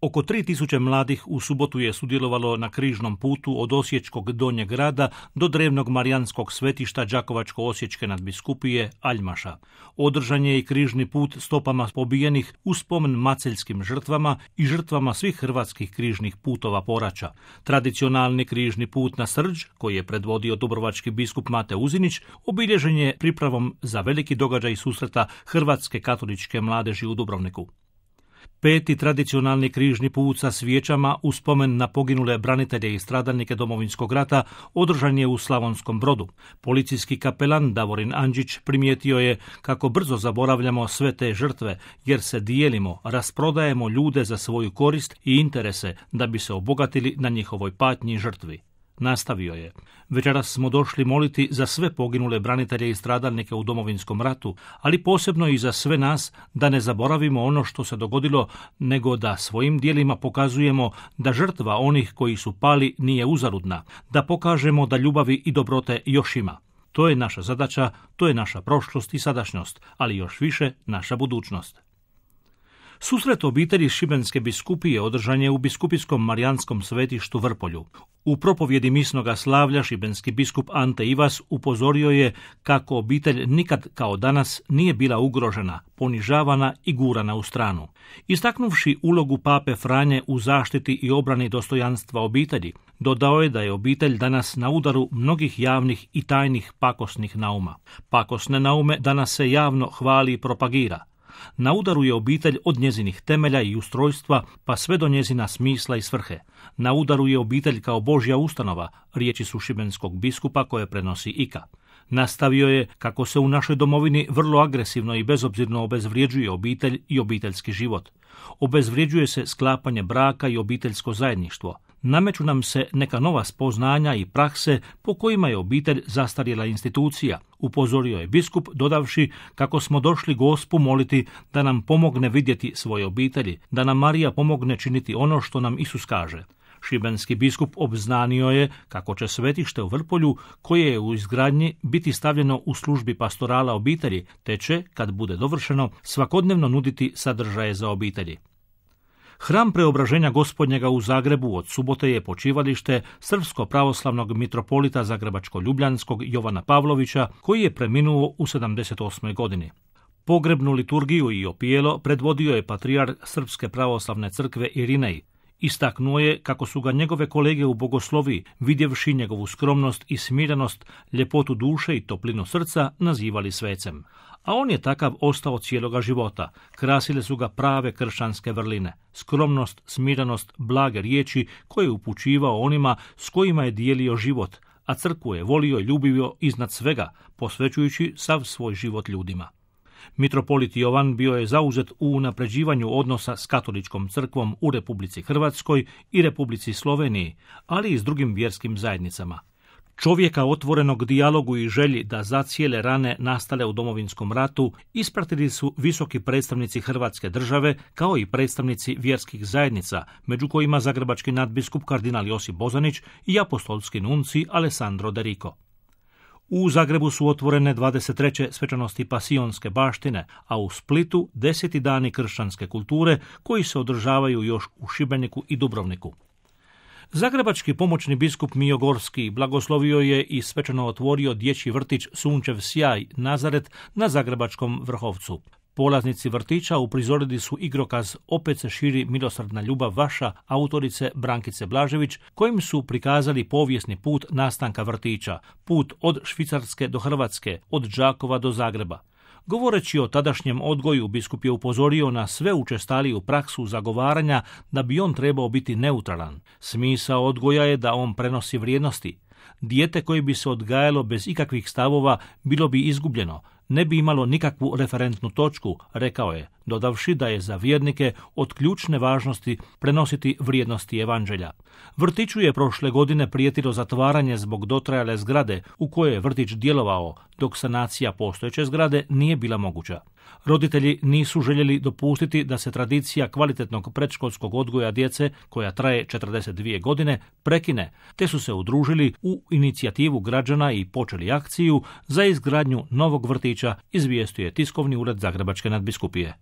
Oko 3000 mladih u subotu je sudjelovalo na križnom putu od Osječkog Donjeg grada do drevnog marijanskog svetišta Đakovačko-osječke nadbiskupije Aljmaša. Održan je i križni put stopama pobijenih u spomen maceljskim žrtvama i žrtvama svih hrvatskih križnih putova poraća. Tradicionalni križni put na Srđ, koji je predvodio dubrovački biskup Mate Uzinić, obilježen je pripravom za veliki događaj susreta hrvatske katoličke mladeži u Dubrovniku. 5. tradicionalni križni put sa svijećama u spomen na poginule branitelje i stradalnike Domovinskog rata održan je u Slavonskom Brodu. Policijski kapelan Davorin Andžić primijetio je kako brzo zaboravljamo sve te žrtve, jer se dijelimo, rasprodajemo ljude za svoju korist i interese da bi se obogatili na njihovoj patnji i žrtvi. Nastavio je: večeras smo došli moliti za sve poginule branitelje i stradalnike u Domovinskom ratu, ali posebno i za sve nas, da ne zaboravimo ono što se dogodilo, nego da svojim djelima pokazujemo da žrtva onih koji su pali nije uzaludna, da pokažemo da ljubavi i dobrote još ima. To je naša zadaća, to je naša prošlost i sadašnjost, ali još više naša budućnost. Susret obitelji Šibenske biskupije održan je u biskupijskom marijanskom svetištu Vrpolju. U propovjedi misnoga slavlja šibenski biskup Ante Ivas upozorio je kako obitelj nikad kao danas nije bila ugrožena, ponižavana i gurana u stranu. Istaknuvši ulogu pape Franje u zaštiti i obrani dostojanstva obitelji, dodao je da je obitelj danas na udaru mnogih javnih i tajnih pakosnih nauma. Pakosne naume danas se javno hvali i propagira. Na udaru je obitelj od njezinih temelja i ustrojstva pa sve do njezina smisla i svrhe. Na udaru je obitelj kao Božja ustanova, riječi su šibenskog biskupa koje prenosi IKA. Nastavio je kako se u našoj domovini vrlo agresivno i bezobzirno obezvrjeđuje obitelj i obiteljski život. Obezvrjeđuje se sklapanje braka i obiteljsko zajedništvo. Nameću nam se neka nova spoznanja i prakse po kojima je obitelj zastarjela institucija, upozorio je biskup, dodavši kako smo došli Gospu moliti da nam pomogne vidjeti svoje obitelji, da nam Marija pomogne činiti ono što nam Isus kaže. Šibenski biskup obznanio je kako će svetište u Vrpolju, koje je u izgradnji, biti stavljeno u službi pastorala obitelji, te će, kad bude dovršeno, svakodnevno nuditi sadržaje za obitelji. Hram Preobraženja Gospodnjega u Zagrebu od subote je počivalište srpsko-pravoslavnog mitropolita Zagrebačko-ljubljanskog Jovana Pavlovića, koji je preminuo u 78. godini. Pogrebnu liturgiju i opijelo predvodio je patrijarh Srpske pravoslavne crkve Irinej. Istaknuo je kako su ga njegove kolege u bogosloviji, vidjevši njegovu skromnost i smirenost, ljepotu duše i toplinu srca, nazivali svecem. A on je takav ostao cijeloga života. Krasile su ga prave kršćanske vrline, skromnost, smirenost, blage riječi koje je upućivao onima s kojima je dijelio život, a crkvu je volio i ljubio iznad svega, posvećujući sav svoj život ljudima. Mitropolit Jovan bio je zauzet u unapređivanju odnosa s katoličkom crkvom u Republici Hrvatskoj i Republici Sloveniji, ali i s drugim vjerskim zajednicama. Čovjeka otvorenog dijalogu i želji da zacijele rane nastale u Domovinskom ratu ispratili su visoki predstavnici Hrvatske države kao i predstavnici vjerskih zajednica, među kojima zagrebački nadbiskup kardinal Josip Bozanić i apostolski nunci Alessandro De Rico. U Zagrebu su otvorene 23. svečanosti pasionske baštine, a u Splitu 10. dani kršćanske kulture koji se održavaju još u Šibeniku i Dubrovniku. Zagrebački pomoćni biskup Mijo Gorski blagoslovio je i svečano otvorio dječji vrtić Sunčev sjaj Nazaret na Zagrebačkom Vrhovcu. Polaznici vrtića uprizorili su igrokaz Opet se širi milosrdna ljubav vaša autorice Brankice Blažević, kojim su prikazali povijesni put nastanka vrtića, put od Švicarske do Hrvatske, od Đakova do Zagreba. Govoreći o tadašnjem odgoju, biskup je upozorio na sve učestaliju praksu zagovaranja da bi on trebao biti neutralan. Smisao odgoja je da on prenosi vrijednosti. Dijete koje bi se odgajalo bez ikakvih stavova bilo bi izgubljeno, ne bi imalo nikakvu referentnu točku, rekao je, dodavši da je za vjernike od ključne važnosti prenositi vrijednosti evanđelja. Vrtiću je prošle godine prijetilo zatvaranje zbog dotrajale zgrade u kojoj je vrtić djelovao, dok sanacija postojeće zgrade nije bila moguća. Roditelji nisu željeli dopustiti da se tradicija kvalitetnog predškolskog odgoja djece, koja traje 42 godine, prekine, te su se udružili u inicijativu građana i počeli akciju za izgradnju novog vrtića, izvijestio je tiskovni ured Zagrebačke nadbiskupije.